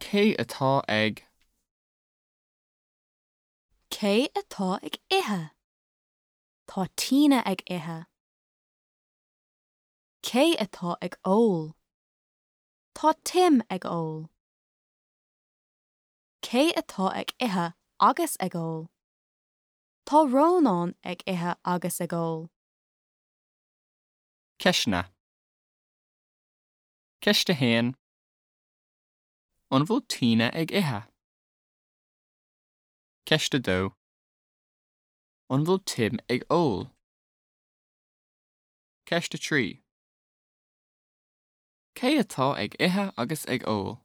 Cé atá ag? Cé atá ag ithe? Tá Tina ag ithe. Cé atá ag ól? Tá Tim ag ól. Cé atá ag ithe agus ag ól? Tá Rónán ag ithe agus ag ól. Ceisteanna. Ceist 1. An bhfuil Tina ag ithe? Ceist 2. An bhfuil Tim ag ól? Ceist 3. Cé atá ag ithe agus ag ól?